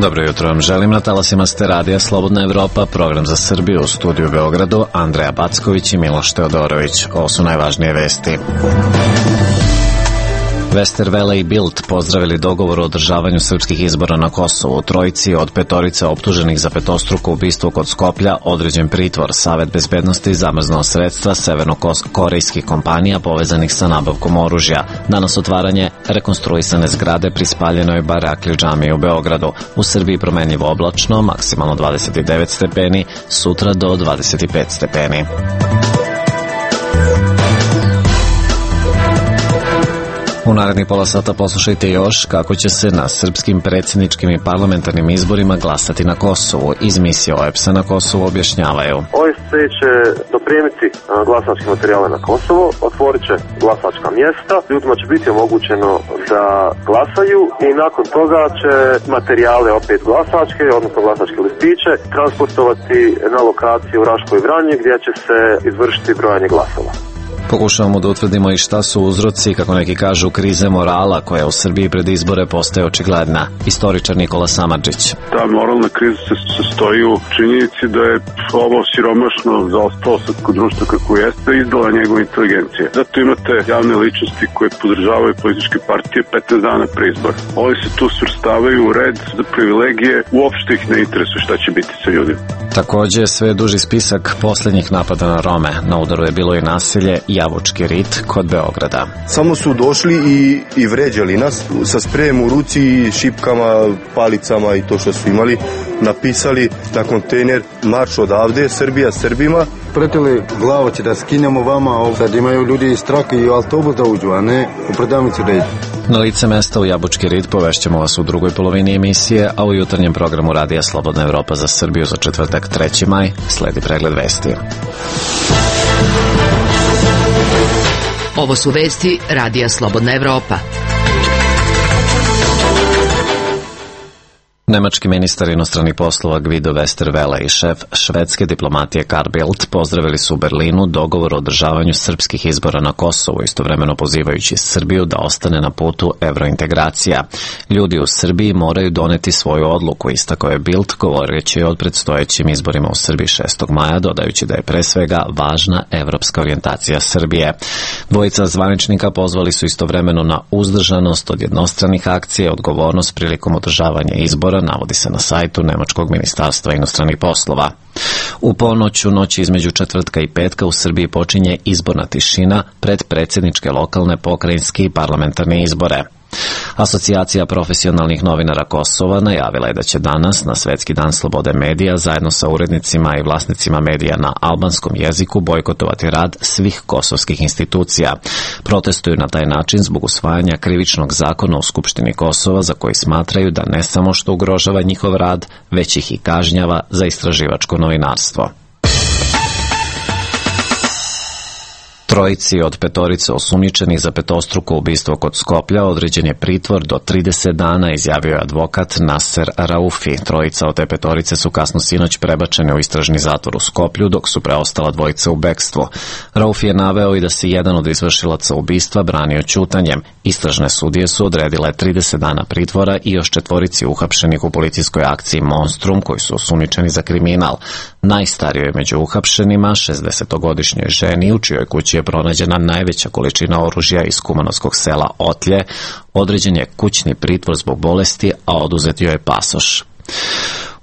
Dobro jutro vam želim, na talasima ste radija Slobodna Evropa, program za Srbiju, u studiju u Beogradu, Andreja Backović i Miloš Teodorović. Ovo su najvažnije vesti. Westerwelle i Bild pozdravili dogovor o održavanju srpskih izbora na Kosovu. Trojici od petorice optuženih za petostruko ubistvo kod Skoplja određen pritvor. Savet bezbednosti zamrznuo sredstva severno-korejskih kompanija povezanih sa nabavkom oružja. Danas otvaranje rekonstruisane zgrade pri spaljenoj Barakli džamiji u Beogradu. U Srbiji promenljivo oblačno, maksimalno 29 stepeni, sutra do 25 stepeni. U narednih pola sata poslušajte još kako će se na srpskim predsjedničkim i parlamentarnim izborima glasati na Kosovu. Iz misije OEBS-a na Kosovu objašnjavaju. OSCE će dopremiti glasačke materijale na Kosovo, otvorit će glasačka mjesta, ljudima će biti omogućeno da glasaju i nakon toga će materijale opet glasačke, odnosno glasačke listiće, transportovati na lokaciju u Raškoj i Vranje gdje će se izvršiti brojanje glasova. Pokušavamo da utvrdimo i šta su uzroci, kako neki kažu, krize morala koja u Srbiji pred izbore postaje očigledna. Istoričar Nikola Samardžić. Ta moralna kriza se sastoji u činjenici da je ovo siromašno zaostalo srpsko društvo kako jeste izdala njegove inteligencije. Zato imate javne ličnosti koje podržavaju političke partije 15 dana pre izbora. Oni se tu svrstavaju u red za privilegije, uopšte ih ne interesuje šta će biti sa ljudima. Takođe, sve duži spisak posljednjih napada na Rome. Na udaru je bilo i nasilje Jabučki rit kod Beograda. Samo su došli i vređali nas sa sprejem u ruci, šipkama, palicama i to što su imali. Napisali na kontejner marš odavde, Srbija Srbima. Pretili glavo će da skinemo vama, sad imaju ljudi strah i u autobus da uđu, a ne u prodavnicu da idu. Na lice mesta u Jabučki rit povešćemo vas u drugoj polovini emisije, a u jutarnjem programu Radija Slobodna Evropa za Srbiju za četvrtak 3. maj sledi pregled vesti. Ovo su vesti Radija Slobodna Evropa. Nemački ministar inostranih poslova Guido Westerwelle i šef švedske diplomatije Carl Bildt pozdravili su u Berlinu dogovor o održavanju srpskih izbora na Kosovu, istovremeno pozivajući Srbiju da ostane na putu evrointegracija. Ljudi u Srbiji moraju doneti svoju odluku, istakao je Bildt, govoreći o predstojećim izborima u Srbiji 6. maja, dodajući da je pre svega važna evropska orijentacija Srbije. Dvojica zvaničnika pozvali su istovremeno na uzdržanost od jednostranih akcija i odgovornost prilikom održavanja izbora, navodi se na sajtu Nemačkog ministarstva inostranih poslova. U ponoć, u noći između četvrtka i petka u Srbiji počinje izborna tišina pred predsjedničke, lokalne, pokrajinske i parlamentarne izbore. Asocijacija profesionalnih novinara Kosova najavila je da će danas, na Svetski dan slobode medija, zajedno sa urednicima i vlasnicima medija na albanskom jeziku bojkotovati rad svih kosovskih institucija. Protestuju na taj način zbog usvajanja krivičnog zakona u Skupštini Kosova, za koji smatraju da ne samo što ugrožava njihov rad, već ih i kažnjava za istraživačko novinarstvo. Trojici od petorice osumnjičenih za petostruko ubistvo kod Skoplja određen je pritvor do 30 dana, izjavio je advokat Naser Raufi. Trojica od te petorice su kasno sinoć prebačene u istražni zatvor u Skoplju, dok su preostala dvojica u bekstvu. Raufi je naveo i da se jedan od izvršilaca ubistva branio ćutanjem. Istražne sudije su odredile 30 dana pritvora i još četvorici uhapšenih u policijskoj akciji Monstrum, koji su osumnjičeni za kriminal. Najstarijoj među uhapšenima, 60-godišnjoj ženi, u čijoj kući je pronađena najveća količina oružja iz kumanovskog sela Otlje, određen je kućni pritvor zbog bolesti, a oduzet joj je pasoš.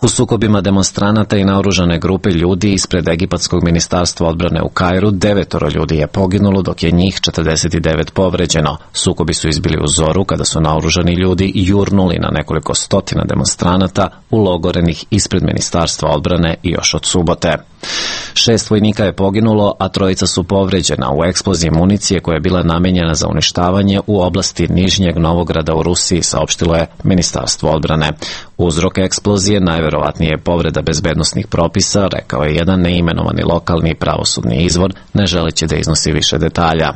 U sukobima demonstranata i naoružane grupe ljudi ispred Egipatskog ministarstva odbrane u Kairu 9 ljudi je poginulo, dok je njih 49 povređeno. Sukobi su izbili u zoru kada su naoružani ljudi jurnuli na nekoliko stotina demonstranata ulogorenih ispred ministarstva odbrane još od subote. 6 vojnika je poginulo, a 3 su povređena u eksploziji municije koja je bila namenjena za uništavanje u oblasti Nižnjeg Novograda u Rusiji, saopštilo je ministarstvo odbrane. Uzrok eksplozije najverovatnije je povreda bezbednosnih propisa, rekao je jedan neimenovani lokalni pravosudni izvor, ne želeći da iznosi više detalja.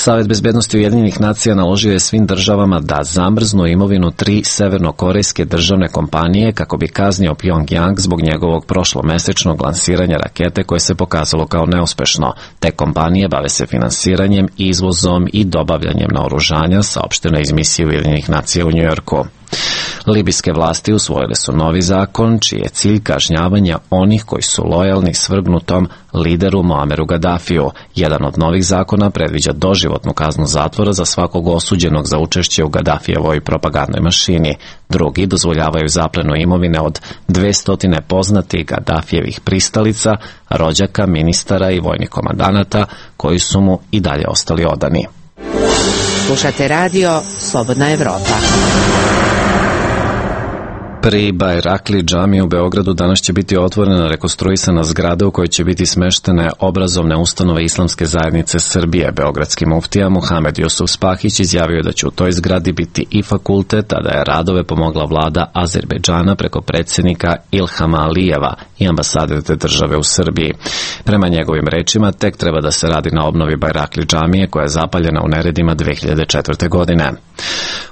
Savet bezbednosti Ujedinjenih nacija naložio je svim državama da zamrznu imovinu 3 severnokorejske državne kompanije kako bi kaznio Pyongyang zbog njegovog prošlomesečnog lansiranja rakete koje se pokazalo kao neuspešno. Te kompanije bave se finansiranjem, izvozom i dobavljanjem naoružanja, saopšteno iz misije Ujedinjenih nacija u Njujorku. Libijske vlasti usvojile su novi zakon, čiji je cilj kažnjavanje onih koji su lojalni svrgnutom lideru Muameru Gaddafiju. Jedan od novih zakona predviđa doživotnu kaznu zatvora za svakog osuđenog za učešće u Gaddafijevoj propagandnoj mašini. Drugi dozvoljavaju zaplenu imovine od 200 poznatih Gaddafijevih pristalica, rođaka, ministara i vojnih komandanata koji su mu i dalje ostali odani. Slušate radio Slobodna Evropa. Pri Bajrakli džamiji u Beogradu danas će biti otvorena rekonstruisana zgrada u kojoj će biti smeštene obrazovne ustanove Islamske zajednice Srbije. Beogradski muftija Muhamed Jusuf Spahić izjavio da će u toj zgradi biti i fakultet, a da je radove pomogla vlada Azerbejdžana preko predsjednika Ilhama Alijeva i ambasade te države u Srbiji. Prema njegovim rečima, tek treba da se radi na obnovi Bajrakli džamije koja je zapaljena u neredima 2004. godine.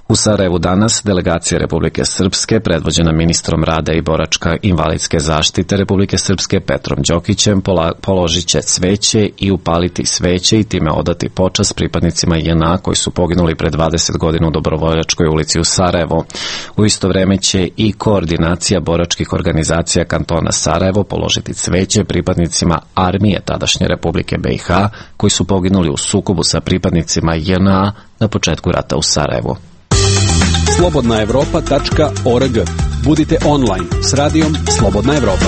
U Sarajevu danas delegacija Republike Srpske, predvođena ministrom rada i boračka invalidske zaštite Republike Srpske Petrom Đokićem, položit će cveće i upaliti sveće i time odati počast pripadnicima JNA koji su poginuli pre 20 godina u Dobrovoljačkoj ulici u Sarajevu. U isto vreme će i koordinacija boračkih organizacija kantona Sarajevo položiti cveće pripadnicima armije tadašnje Republike BiH koji su poginuli u sukobu sa pripadnicima JNA na početku rata u Sarajevu. slobodnaevropa.org. Budite online s radijom Slobodna Evropa.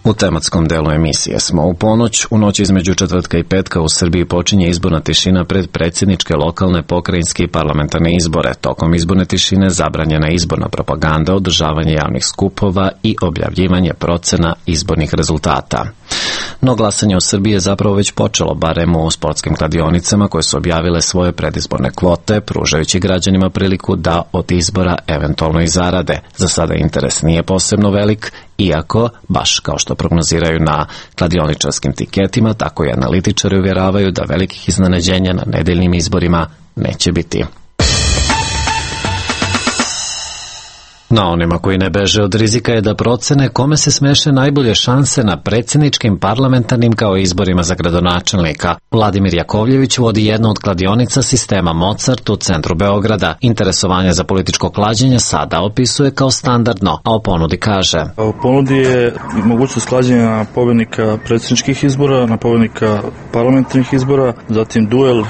U tematskom delu emisije smo. U ponoć, u noći između četvrtka i petka u Srbiji počinje izborna tišina pred predsjedničke, lokalne, pokrajinske i parlamentarne izbore. Tokom izborne tišine zabranjena izborna propaganda, održavanje javnih skupova i objavljivanje procena izbornih rezultata. No glasanje u Srbiji je zapravo već počelo, barem u sportskim kladionicama koje su objavile svoje predizborne kvote, pružajući građanima priliku da od izbora eventualno i zarade. Za sada interes nije posebno velik, iako, baš kao što prognoziraju na kladioničarskim tiketima, tako i analitičari uvjeravaju da velikih iznenađenja na nedeljnim izborima neće biti. Na onima koji ne beže od rizika je da procene kome se smeše najbolje šanse na predsjedničkim, parlamentarnim kao izborima za gradonačelnika. Vladimir Jakovljević vodi jednu od kladionica sistema Mozart u centru Beograda. Interesovanje za političko klađenje sada opisuje kao standardno, a o ponudi kaže: U ponudi je mogućnost klađenja na pobjednika predsjedničkih izbora, na pobjednika parlamentarnih izbora, zatim duel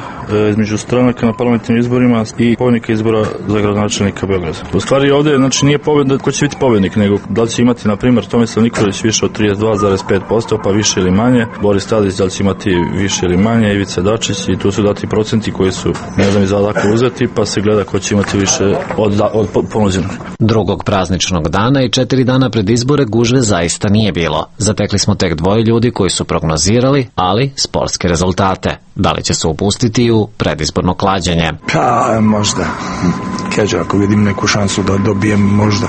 između stranaka na parlamentarnim izborima i pobjednika izbora za gradonačelnika Beograda. U stvari ovdje nije pobjeda ko će biti pobjednik, nego da li će imati, na primjer, Tomislav Nikolić više od 32,5%, pa više ili manje, Boris Tadić da li će imati više ili manje, Ivica Dačić, i tu su dati procenti koji su, ne znam, izadako uzeti, pa se gleda ko će imati više od ponuđenog. Drugog prazničnog dana i 4 dana pred izbore gužve zaista nije bilo. Zatekli smo tek 2 ljudi koji su prognozirali, ali sportske rezultate. Da li će se upustiti u predizborno klađenje? Pa, možda. Keđa, ako vidim neku šansu da dobijem, možda.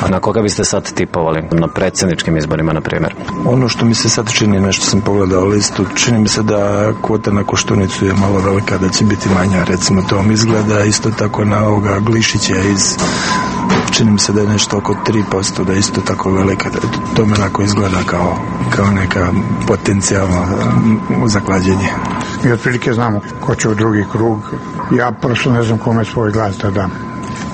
A na koga biste sad tipovali? Na predsjedničkim izborima, na primjer? Ono što mi se sad čini, nešto sam pogledao listu, čini mi se da kvota na Koštunicu je malo velika, da će biti manja, recimo to vam izgleda, isto tako na ovoga Glišića čini mi se da je nešto oko 3%, da je isto tako velika. To me onako izgleda kao neka potencijalno zaklađenje. Mi otprilike znamo ko će u drugi krug. Ja prosto ne znam kome svoj glas da dam,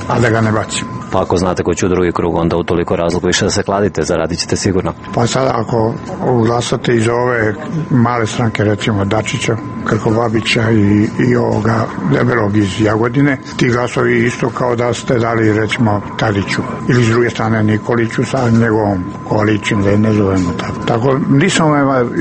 a da ga ne bacim. Pa ako znate ko će u drugi krug, onda u toliko razloga više da se kladite, zaradit ćete sigurno. Pa sad ako glasate iz ove male stranke, recimo Dačića, Krkobabića i ovoga Debelog iz Jagodine, ti glasovi isto kao da ste dali, recimo, Tadiću. Ili s druge strane Nikoliću sa njegovom koalicijom, da je ne zovemo tako. Tako, nisam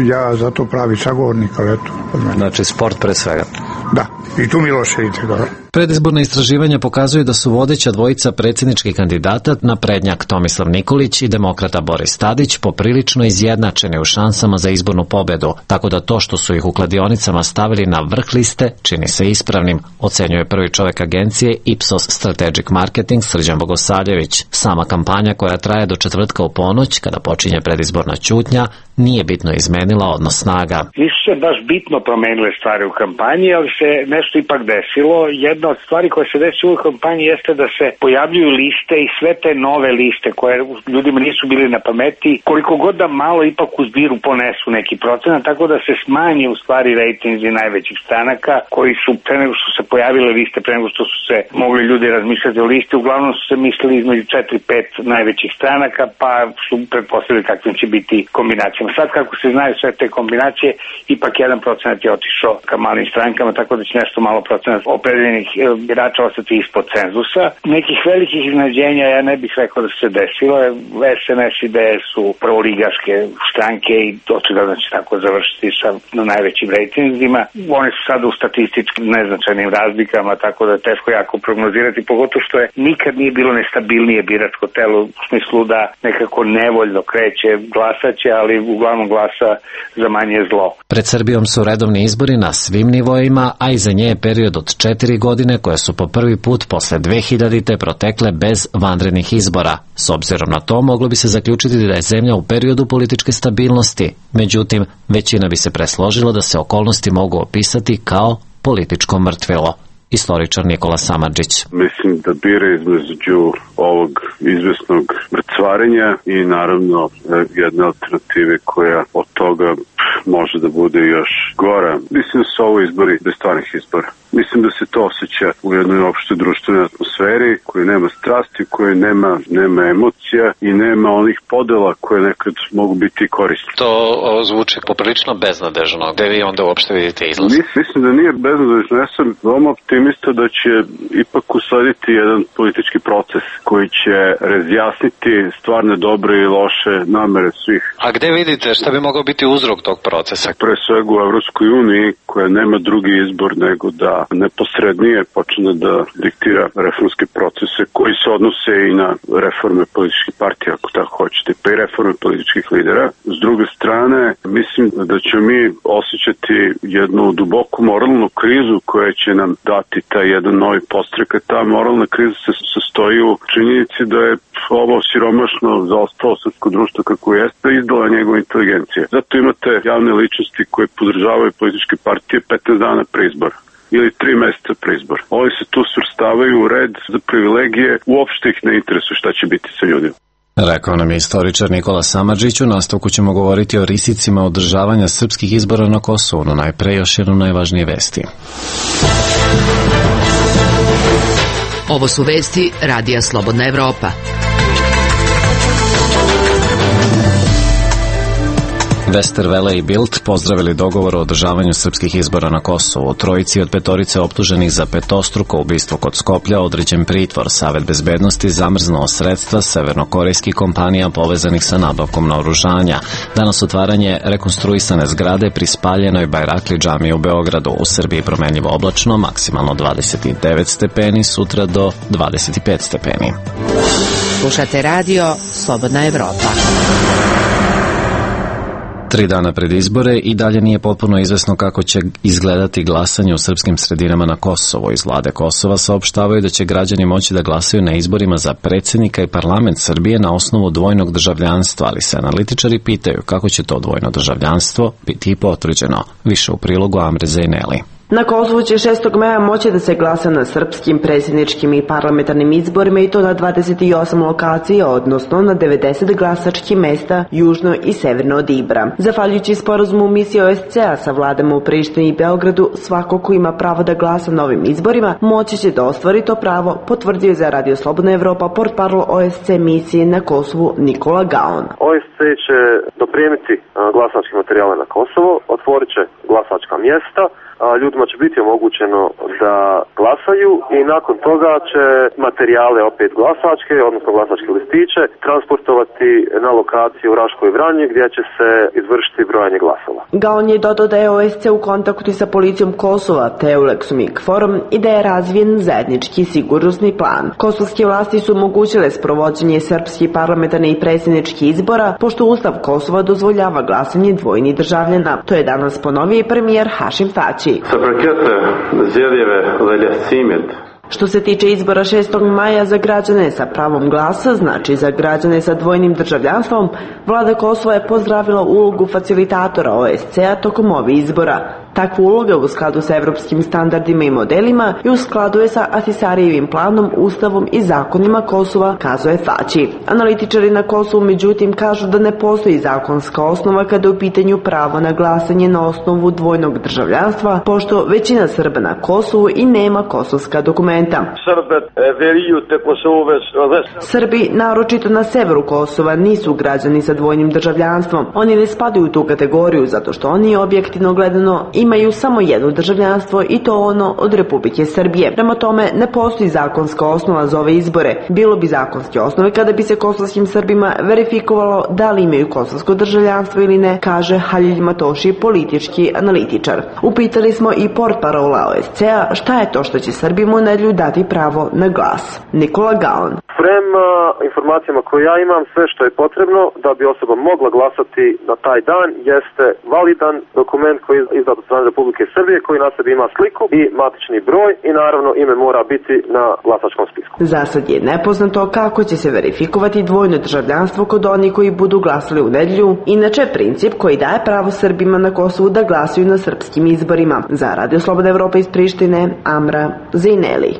ja za to pravi sagovornik, ali eto. Znači sport pre svega. Da. I tu Miloše vidite dobro. Predizborna istraživanja pokazuju da su vodeća dvojica predsjedničkih kandidata, naprednjak Tomislav Nikolić i demokrata Boris Tadić, poprilično izjednačeni u šansama za izbornu pobedu, tako da to što su ih u kladionicama stavili na vrh liste čini se ispravnim, ocenjuje prvi čovjek agencije Ipsos Strategic Marketing Srđan Bogosavljević. Sama kampanja koja traje do četvrtka u ponoć, kada počinje predizborna ćutnja, nije bitno izmenila odnos snaga. Nisu se baš bitno promenile stvari u kampanji, ali se nešto ipak desilo. Jedna od stvari koja se desila u kampanji jeste da se pojavljuju liste i sve te nove liste koje ljudima nisu bili na pameti, koliko god da malo ipak u zbiru ponesu neki procenat, tako da se smanje u stvari rejtinzi najvećih stranaka koji su pre nego što se pojavile liste, pre nego što su se mogli ljudi razmišljati o listi, uglavnom su se mislili između 4-5 najvećih stranaka, pa su pretpostavili kakvim će biti kombinacijama. Sad kako se znaju sve te kombinacije, ipak 1% je otišao ka malim strankama, tako da će nešto malo procenat opredeljenih birača ostati ispod cenzusa. Nekih velikih iznenađenja ja ne bih rekao da se desilo. SNS i DS su prvoligaške stranke i očigledno će tako završiti sa najvećim rejtinzima. Oni su sada u statistički neznačajnim razlikama, tako da je teško jako prognozirati, pogotovo što je nikad nije bilo nestabilnije biračko telo u smislu da nekako nevoljno kreće, glasaće, ali uglavnom glasa za manje zlo. Pred Srbijom su redovni izbori na svim nivoima, a iza nje je period od 4 godine koje su po prvi put posle 2000. protekle bez vanrednih izbora. S obzirom na to, moglo bi se zaključiti da je zemlja u periodu političke stabilnosti. Međutim, većina bi se presložila da se okolnosti mogu opisati kao političko mrtvilo. Istoričar Nikola Samardžić. Mislim da bira između ovog izvesnog mrcvarenja i naravno jedne alternative koja od toga može da bude još gora. Mislim da su ovo izbori bez stvarnih izbora. Mislim da se to osjeća u jednoj opštoj društvenoj atmosferi koji nema strasti, koji nema emocija i nema onih podela koje nekad mogu biti korisne. To zvuči poprilično beznadežno. Gde vi onda uopšte vidite izlaz? Mislim da nije beznadežno. Ja sam veoma optimista da će ipak uslediti jedan politički proces koji će razjasniti stvarne dobre i loše namere svih. A gde vidite šta bi mogao biti uzrok tog procesa? Pre svega u Evropskoj uniji koja nema drugi izbor nego da neposrednije počne da diktira reformske procese koji se odnose i na reforme političkih partija, ako tako hoćete, pa i reforme političkih lidera. S druge strane, mislim da ćemo mi osjećati jednu duboku moralnu krizu koja će nam dati taj jedan novi podstrek. Ta moralna kriza se sastoji u činjenici da je ovo siromašno zaostalo srpsko društvo kako jeste izdala njegova inteligencija. Zato imate javne ličnosti koje podržavaju političke partije 15 dana pre izbora ili 3 meseca pre izbora. Ovi se tu svrstavaju u red za privilegije, uopšte ih ne interesuje šta će biti sa ljudima. Rekao nam je istoričar Nikola Samardžić. U nastavku ćemo govoriti o risicima održavanja srpskih izbora na Kosovu, no najpre još jedno najvažnije vesti. Ovo su vesti Radija Slobodna Evropa. Westerwelle i Bild pozdravili dogovor o održavanju srpskih izbora na Kosovu. Trojici od petorice optuženih za petostruko ubistvo kod Skoplja određen pritvor. Savet bezbednosti zamrznuo sredstva severnokorejskih kompanija povezanih sa nabavkom naoružanja. Danas otvaranje rekonstruisane zgrade pri spaljenoj Bajrakli džamiji u Beogradu. U Srbiji promenljivo oblačno, maksimalno 29 stepeni, sutra do 25 stepeni. Slušate radio Slobodna Evropa. 3 dana pred izbore i dalje nije potpuno izvesno kako će izgledati glasanje u srpskim sredinama na Kosovu. Iz vlade Kosova saopštavaju da će građani moći da glasaju na izborima za predsjednika i parlament Srbije na osnovu dvojnog državljanstva, ali se analitičari pitaju kako će to dvojno državljanstvo biti potvrđeno. Više u prilogu Amre Zejneli. Na Kosovu će 6. maja moći da se glasa na srpskim predsjedničkim i parlamentarnim izborima i to na 28 lokacija, odnosno na 90 glasačkih mesta južno i severno od Ibra. Zahvaljujući sporazumu misije OSCE-a sa vladama u Prištini i Beogradu, svako ko ima pravo da glasa na ovim izborima moći će da ostvari to pravo, potvrdio je za Radio Slobodna Evropa portparol OSCE misije na Kosovu Nikola Gaon. OSCE će dopremiti glasačke materijale na Kosovo, otvorit će glasačka mjesta, ljudima će biti omogućeno da glasaju i nakon toga će materijale opet glasačke, odnosno glasačke listiće, transportovati na lokaciju u Raškoj Vranji gdje će se izvršiti brojanje glasova. Gaon je dodao da je OSC u kontaktu sa policijom Kosova, Teulexom i KFOR-om i da je razvijen zajednički sigurnosni plan. Kosovske vlasti su omogućile sprovođenje srpskih parlamentarnih i predsjedničkih izbora, pošto Ustav Kosova dozvoljava glasanje dvojnih državljana. To je danas ponovio i premijer Hašim Tači. Što se tiče izbora 6. maja za građane sa pravom glasa, znači za građane sa dvojnim državljanstvom, vlada Kosova je pozdravila ulogu facilitatora OSCE-a tokom ovih izbora. Takva uloga u skladu sa evropskim standardima i modelima i u skladu je sa Ahtisarijevim planom, ustavom i zakonima Kosova, kazuje Tači. Analitičari na Kosovu međutim kažu da ne postoji zakonska osnova kada je u pitanju pravo na glasanje na osnovu dvojnog državljanstva, pošto većina Srba na Kosovu i nema kosovska dokumenta. Srbi, naročito na severu Kosova, nisu građani sa dvojnim državljanstvom. Oni ne spadaju u tu kategoriju zato što oni objektivno gledano imaju samo jedno državljanstvo i to ono od Republike Srbije. Prema tome, ne postoji zakonska osnova za ove izbore. Bilo bi zakonske osnove kada bi se kosovskim Srbima verifikovalo da li imaju kosovsko državljanstvo ili ne, kaže Halil Matoši, politički analitičar. Upitali smo i portparola OSCE-a šta je to što će Srbima u nedelju dati pravo na glas. Nikola Gaon. Prema informacijama koje ja imam, sve što je potrebno da bi osoba mogla glasati na taj dan jeste validan dokument koji je izdat od strane Republike Srbije, koji na sebi ima sliku i matični broj i naravno ime mora biti na glasačkom spisku. Za sad je nepoznato kako će se verifikovati dvojno državljanstvo kod onih koji budu glasali u nedelju, inače princip koji daje pravo Srbima na Kosovu da glasuju na srpskim izborima. Za Radio Slobodna Evropa iz Prištine, Amra Zejneli.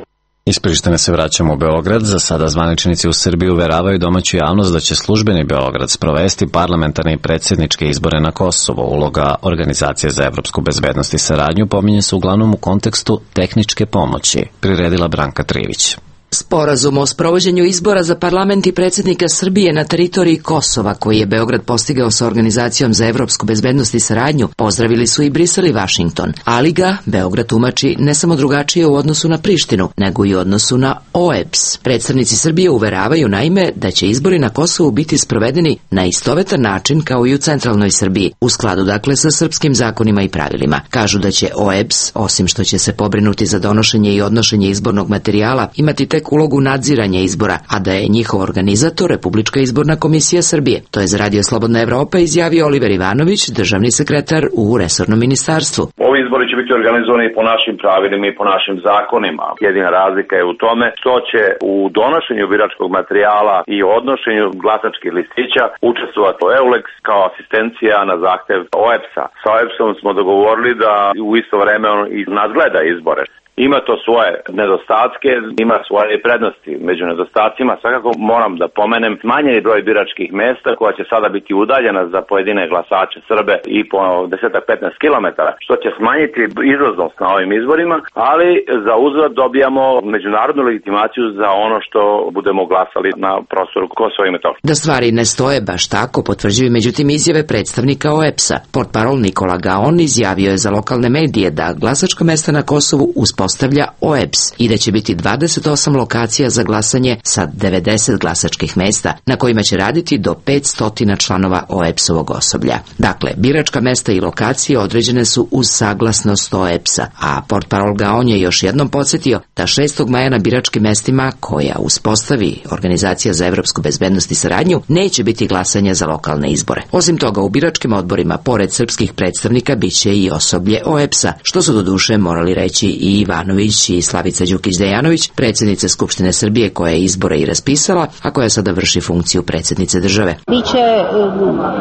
Iz Prištine se vraćamo u Beograd. Za sada zvaničnici u Srbiji uveravaju domaću javnost da će službeni Beograd sprovesti parlamentarne i predsjedničke izbore na Kosovo. Uloga Organizacije za evropsku bezbednost i saradnju pominje se uglavnom u kontekstu tehničke pomoći, priredila Branka Trivić. Sporazum o sprovođenju izbora za parlament i predsjednika Srbije na teritoriji Kosova, koji je Beograd postigao sa Organizacijom za evropsku bezbednost i saradnju, pozdravili su i Brisel i Vašington, ali ga Beograd tumači ne samo drugačije u odnosu na Prištinu, nego i u odnosu na OEBS. Predstavnici Srbije uveravaju naime da će izbori na Kosovu biti sprovedeni na istovetan način kao i u centralnoj Srbiji, u skladu dakle sa srpskim zakonima i pravilima. Kažu da će OEBS, osim što će se pobrinuti za donošenje i odnošenje izbornog materijala, imati tek ulogu nadziranja izbora, a da je njihov organizator Republička izborna komisija Srbije. To je za Radio Slobodna Evropa izjavio Oliver Ivanović, državni sekretar u resornom ministarstvu. Ovi izbori će biti organizovani po našim pravilima i po našim zakonima. Jedina razlika je u tome što će u donošenju biračkog materijala i odnošenju glasačkih listića učestvovati EULEX kao asistencija na zahtev OEBS-a. Sa OEBS-om smo dogovorili da u isto vreme on i nadgleda izbore. Ima to svoje nedostatke, ima svoje prednosti. Među nedostacima svakako moram da pomenem smanjeni broj biračkih mesta koja će sada biti udaljena za pojedine glasače Srbe i po 10-15 km, što će smanjiti izlaznost na ovim izborima, ali za uzvrat dobijamo međunarodnu legitimaciju za ono što budemo glasali na prostoru Kosova i Metohije. Da stvari ne stoje baš tako potvrđuju međutim izjave predstavnika OEBS-a. Portparol Nikola Gaon izjavio je za lokalne medije da glasačka mesta na Kosovu uspostavlja OEBS i da će biti 28 lokacija za glasanje sa 90 glasačkih mesta na kojima će raditi do 500 članova OEBS-ovog osoblja. Dakle, biračka mesta i lokacije određene su uz saglasnost OEBS-a, a portparol Gaon je još jednom podsjetio da 6. maja na biračkim mestima koja uspostavi Organizacija za evropsku bezbednost i saradnju neće biti glasanja za lokalne izbore. Osim toga, u biračkim odborima, pored srpskih predstavnika, biće i osoblje OEBS-a, što su doduše morali reći i Ivanović i Slavica Đukić-Dejanović, predsjednice Skupštine Srbije koja je izbore i raspisala, a koja sada vrši funkciju predsjednice države. Biće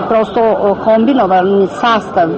prosto kombinovan sastav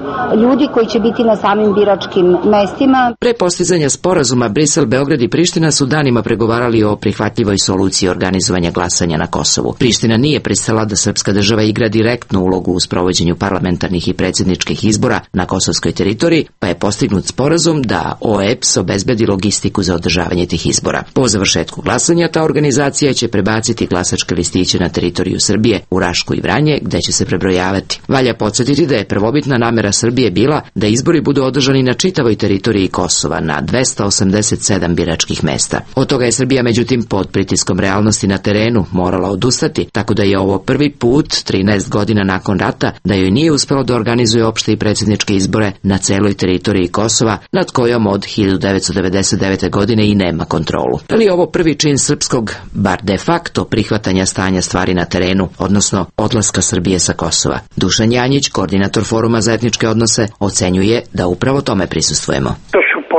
ljudi koji će biti na samim biračkim mestima. Pre postizanja sporazuma Brisel, Beograd i Priština su danima pregovarali o prihvatljivoj soluciji organizovanja glasanja na Kosovu. Priština nije pristala da srpska država igra direktnu ulogu u sprovođenju parlamentarnih i predsjedničkih izbora na kosovskoj teritoriji, pa je postignut sporazum da OEBS obezbedi obezbedi logistiku za održavanje tih izbora. Po završetku glasanja ta organizacija će prebaciti glasačke listiće na teritoriju Srbije, u Rašku i Vranje, gde će se prebrojavati. Valja podsjetiti da je prvobitna namera Srbije bila da izbori budu održani na čitavoj teritoriji Kosova na 287 biračkih mesta. Od toga je Srbija međutim pod pritiskom realnosti na terenu morala odustati, tako da je ovo prvi put 13 godina nakon rata da joj nije uspelo da organizuje opšte i predsjedničke izbore na celoj teritoriji Kosova, nad kojom od 1999. godine i nema kontrolu. Ali je ovo prvi čin srpskog, bar de facto, prihvatanja stanja stvari na terenu, odnosno odlaska Srbije sa Kosova. Dušan Janjić, koordinator Foruma za etničke odnose, ocenjuje da upravo tome prisustvujemo.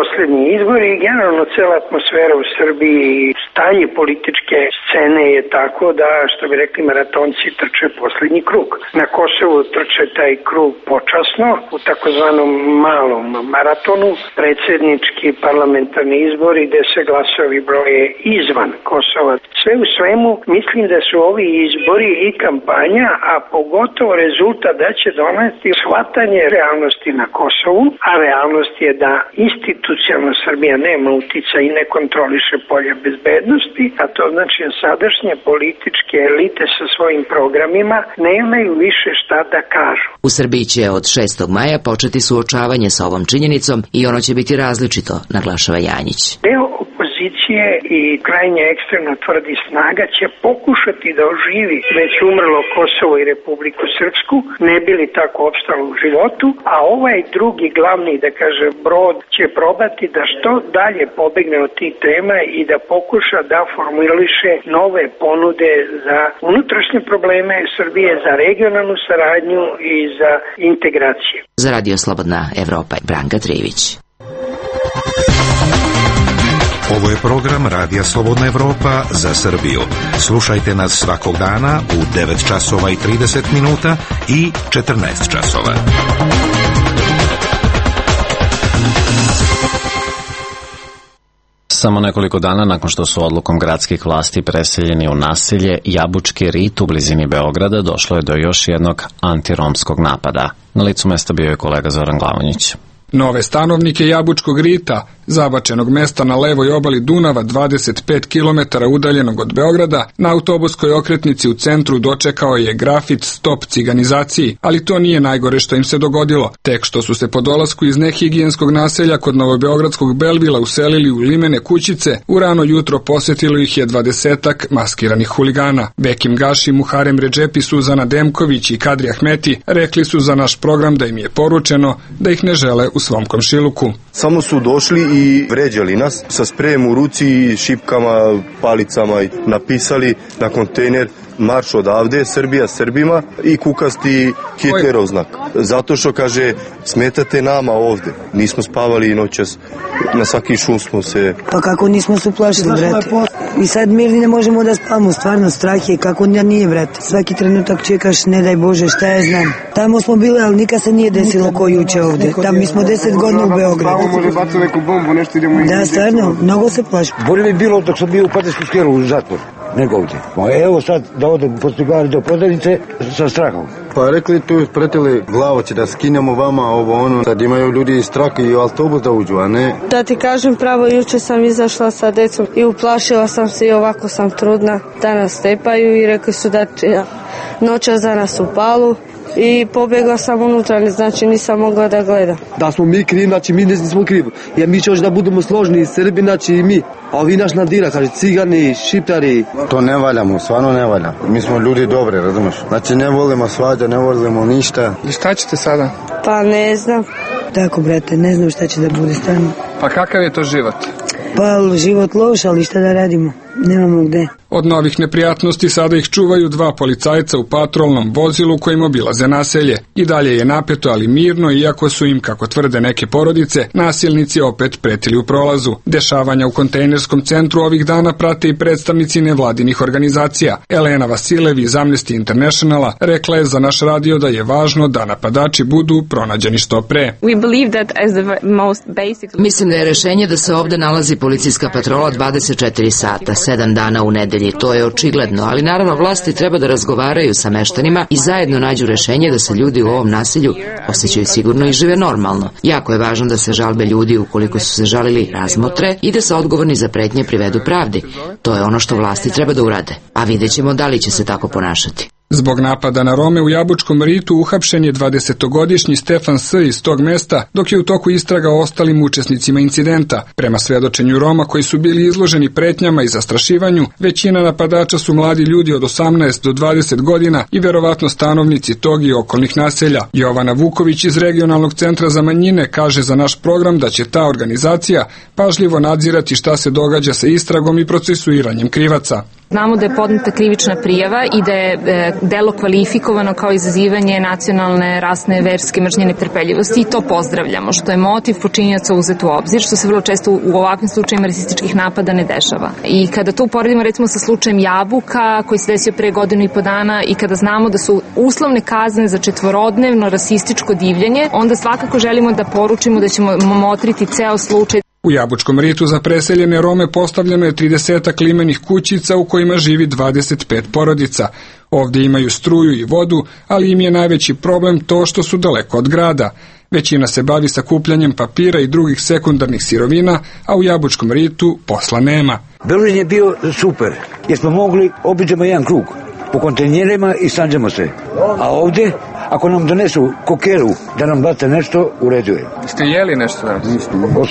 Poslednji izbori i generalno cela atmosfera u Srbiji i stanje političke scene je tako da, što bi rekli maratonci, trče poslednji krug. Na Kosovu trče taj krug počasno, u takozvanom malom maratonu, predsjednički parlamentarni izbori gde se glasovi broje izvan Kosova. Sve u svemu, mislim da su ovi izbori i kampanja, a pogotovo rezultat da će doneti shvatanje realnosti na Kosovu, a realnost je da institucionalno Srbija nema utica i ne kontroliše polje bezbednosti, a to znači da sadašnje političke elite sa svojim programima nemaju više šta da kažu. U Srbiji će od 6. maja početi suočavanje sa ovom činjenicom i ono će biti različito, naglašava Janjić. Deo opozicije i krajnje ekstremno tvrdi snaga će pokušati da oživi već umrlo Kosovo i Republiku Srpsku, ne bi li tako opstalo u životu, a ovaj drugi glavni, da kaže, brod će probati da što dalje pobegne od tih tema i da pokuša da formuliše nove ponude za unutrašnje probleme Srbije, za regionalnu saradnju i za integraciju. Za Radio Slobodna Evropa, Branka Trivić. Ovo je program Radija Slobodna Evropa za Srbiju. Slušajte nas svakog dana u 9 časova i 30 minuta i 14 časova. Samo nekoliko dana nakon što su odlukom gradskih vlasti preseljeni u naselje Jabučki rit u blizini Beograda, došlo je do još jednog antiromskog napada. Na licu mesta bio je kolega Zoran Glavonjić. Nove stanovnike Jabučkog rita, zabačenog mesta na levoj obali Dunava 25 km udaljenog od Beograda, na autobuskoj okretnici u centru dočekao je grafit Stop ciganizaciji, ali to nije najgore što im se dogodilo. Tek što su se po dolasku iz nehigijenskog naselja kod novobeogradskog Belvila uselili u limene kućice, u rano jutro posetilo ih je 20-ak maskiranih huligana. Bekim Gaši, Muharem Redžepi, Suzana Demković i Kadri Ahmeti rekli su za naš program da im je poručeno da ih ne žele u svom komšiluku. Samo su došli i vređali nas sa sprejem u ruci, šipkama, palicama i napisali na kontejner marš odavde, Srbija Srbima i kukasti Hitlerov znak. Zato što kaže, smetate nama ovde. Nismo spavali noćas, na svaki šum smo se... Pa kako nismo se uplašili, brate? I sad mirni ne možemo da spavamo, stvarno strah je, kako da nije, brate. Svaki trenutak čekaš, ne daj Bože, šta ja znam. Tamo smo bili, ali nikad se nije desilo ko juče ovde. Tam mi smo 10 godina u Beogradu. Tamo može baciti neku bombu, nešto idemo... Da, stvarno, mnogo se plašimo. Bolje bi bilo dok sam bio u Patersku skelu u zatvor, nego ovdje. Evo sad da odem po cigari do Podanice sa strahom. Pa rekli tu pretili glavo će da skinemo vama ovo ono. Sad imaju ljudi strah i u autobus da uđu, a ne... Da ti kažem pravo, juče sam izašla sa decom i uplašila sam se i ovako sam trudna da nas stepaju i rekli su da će noćas za nas u palu. I pobjegla sam unutra, znači nisam mogla da gledam. Da smo mi krivi, znači mi nismo krivi. Jer mi će još da budemo složni, Srbi, znači i mi. A ovi naš nadira, kaže cigani, šiptari. To ne valjamo, stvarno ne valja. Mi smo ljudi dobri, razumiješ? Znači ne volimo svađa, ne volimo ništa. I šta ćete sada? Pa ne znam. Tako, brate, ne znam šta će da bude stvarno. Pa kakav je to život? Pa život loš, ali šta da radimo? Nemamo gde. Od novih neprijatnosti sada ih čuvaju 2 policajca u patrolnom vozilu kojim obilaze naselje. I dalje je napeto, ali mirno, iako su im, kako tvrde neke porodice, nasilnici opet pretili u prolazu. Dešavanja u kontejnerskom centru ovih dana prate i predstavnici nevladinih organizacija. Elena Vasilev iz Amnesty Internationala rekla je za naš radio da je važno da napadači budu pronađeni što pre. Mislim da je rešenje da se ovde nalazi policijska patrola 24 sata, 7 dana u nedelju. obitelji, to je očigledno, ali naravno vlasti treba da razgovaraju sa meštanima i zajedno nađu rešenje da se ljudi u ovom naselju osjećaju sigurno i žive normalno. Jako je važno da se žalbe ljudi, ukoliko su se žalili, razmotre i da se odgovorni za pretnje privedu pravdi. To je ono što vlasti treba da urade, a vidjet ćemo da li će se tako ponašati. Zbog napada na Rome u Jabučkom ritu uhapšen je 20-godišnji Stefan S. iz tog mesta, dok je u toku istraga o ostalim učesnicima incidenta. Prema svedočenju Roma koji su bili izloženi pretnjama i zastrašivanju, većina napadača su mladi ljudi od 18 do 20 godina i verovatno stanovnici tog i okolnih naselja. Jovana Vuković iz Regionalnog centra za manjine kaže za naš program da će ta organizacija pažljivo nadzirati šta se događa sa istragom i procesuiranjem krivaca. Znamo da je podneta krivična prijava i da je delo kvalifikovano kao izazivanje nacionalne, rasne, verske mržnje, netrpeljivosti i to pozdravljamo, što je motiv počinioca uzet u obzir, što se vrlo često u ovakvim slučajima rasističkih napada ne dešava. I kada to uporedimo recimo sa slučajem Jabuka koji se desio pre 1.5 godina i kada znamo da su uslovne kazne za 4-dnevno rasističko divljanje, onda svakako želimo da poručimo da ćemo motriti ceo slučaj. U Jabučkom ritu za preseljene Rome postavljeno je 30 limenih kućica u kojima živi 25 porodica. Ovdje imaju struju i vodu, ali im je najveći problem to što su daleko od grada. Većina se bavi sakupljanjem papira i drugih sekundarnih sirovina, a u Jabučkom ritu posla nema. Berlin je bio super, jer smo mogli obiđemo jedan krug po kontejnerima i sanđemo se. A ovdje, ako nam donesu kokeru da nam bate nešto, u redu je. Ste jeli nešto danas?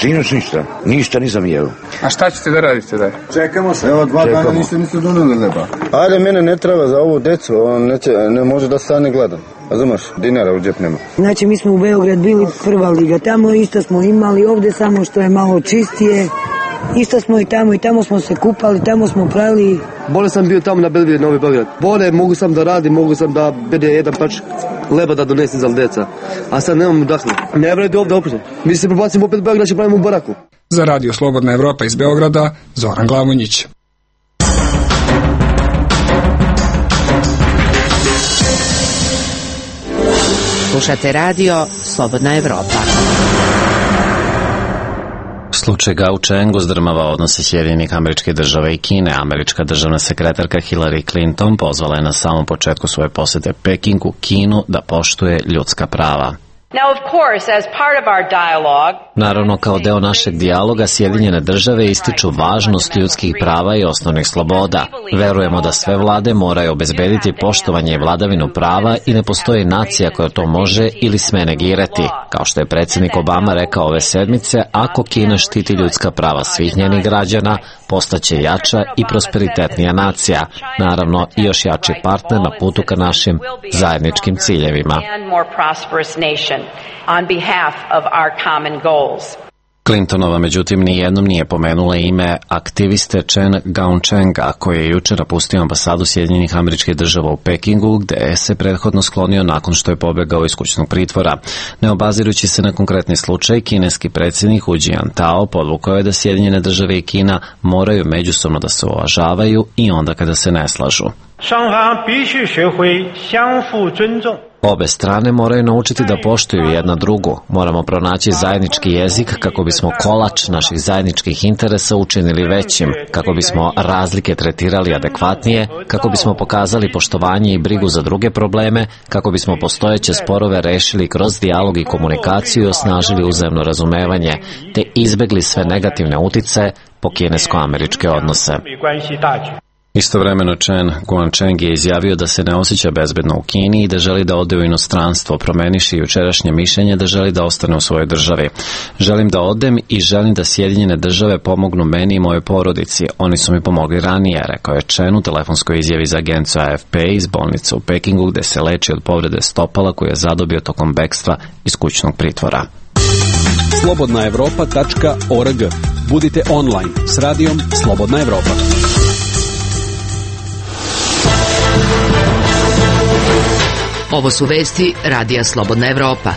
Sinoć ništa. Ništa nisam jelo. A šta ćete da radite dalje? Čekamo se. Evo 2 dana niste doneli leba. Ajde, mene ne treba za ovu decu, on ne može da stane gladan. Razumeš, dinara u džep nema. Znači mi smo u Beograd bili prva liga, tamo isto smo imali, ovdje samo što je malo čistije. Isto smo i tamo smo se kupali, tamo smo pravili. Bole sam bio tamo na Belvije, Novi Beograd. Bole, mogu sam da radim, mogu sam da bede jedan pač leba da donesem za deca. A sad nemam udahnu. Ne vredi ovdje opet. Mi se prebacimo opet u Beograd, će pravimo u baraku. Za Radio Slobodna Evropa iz Beograda, Zoran Glavonjić. Slušate radio Slobodna Evropa. Slučaj Gao Cheng uzdrmava odnose Sjedinjenih Američkih Država i Kine. Američka državna sekretarka Hillary Clinton pozvala je na samom početku svoje posete Pekingu Kinu da poštuje ljudska prava. Naravno, kao deo našeg dijaloga, Sjedinjene Države ističu važnost ljudskih prava i osnovnih sloboda. Verujemo da sve vlade moraju obezbediti poštovanje i vladavinu prava i ne postoji nacija koja to može ili sme negirati. Kao što je predsjednik Obama rekao ove sedmice, ako Kina štiti ljudska prava svih njenih građana, postaće jača i prosperitetnija nacija. Naravno, i još jači partner na putu ka našim zajedničkim ciljevima. On behalf of our common goals. Clintonova međutim nijednom nije pomenula ime aktiviste Chen Gaocheng-a, koji je jučer napustio ambasadu Sjedinjenih Američkih Država u Pekingu, gde se prethodno sklonio nakon što je pobegao iz kućnog pritvora. Ne obazirući se na konkretni slučaj, kineski predsjednik Hu Jintao podvukao je da Sjedinjene Države i Kina moraju međusobno da se uvažavaju i onda kada se ne slažu. Obe strane moraju naučiti da poštuju jedna drugu. Moramo pronaći zajednički jezik kako bismo kolač naših zajedničkih interesa učinili većim, kako bismo razlike tretirali adekvatnije, kako bismo pokazali poštovanje i brigu za druge probleme, kako bismo postojeće sporove rešili kroz dijalog i komunikaciju i osnažili uzajamno razumevanje, te izbegli sve negativne uticaje po kinesko-američke odnose. Istovremeno Chen Guangcheng je izjavio da se ne osjeća bezbedno u Kini i da želi da ode u inostranstvo, promeniši jučerašnje mišljenje da želi da ostane u svojoj državi. Želim da odem i želim da Sjedinjene Države pomognu meni i mojoj porodici. Oni su mi pomogli ranije, rekao je Chen u telefonskoj izjavi za agenciju AFP iz bolnice u Pekingu, gde se leči od povrede stopala koju je zadobio tokom bekstva iz kućnog pritvora. slobodnaevropa.org. Budite online s radijom Slobodna Evropa. Ovo su vesti Radija Slobodna Evropa.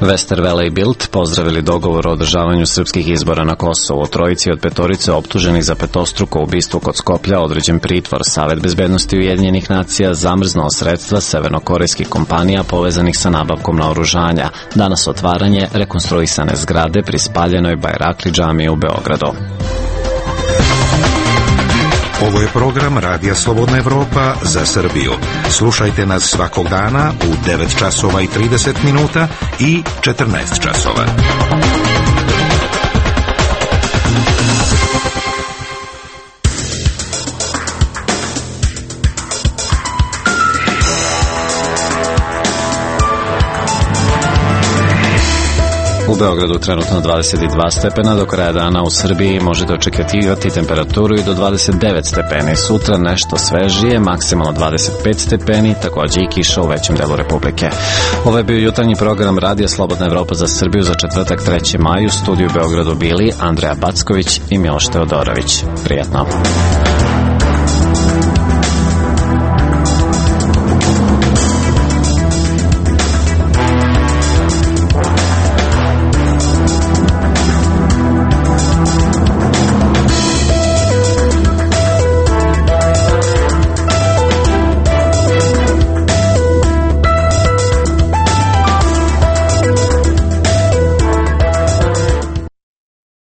Westerwelle i Bild pozdravili dogovor o održavanju srpskih izbora na Kosovu. Trojici od petorice optuženih za petostruko ubistvo kod Skoplja određen pritvor. Savet bezbednosti Ujedinjenih nacija zamrznuo sredstva severnokorejskih kompanija povezanih sa nabavkom naoružanja. Danas otvaranje rekonstruisane zgrade pri spaljenoj Bajrakli džamiji u Beogradu. Ovo je program Radija Slobodna Evropa za Srbiju. Slušajte nas svakog dana u 9 časova i 30 minuta i 14 časova. U Beogradu trenutno 22 stepena, do kraja dana u Srbiji možete očekivati temperaturu i do 29 stepeni. Sutra nešto svežije, maksimalno 25 stepeni, takođe i kiša u većem delu Republike. Ovo je bio jutarnji program Radija Slobodna Evropa za Srbiju za četvrtak 3. maj. U studiju u Beogradu bili Andreja Backović i Miloš Teodorović. Prijatno.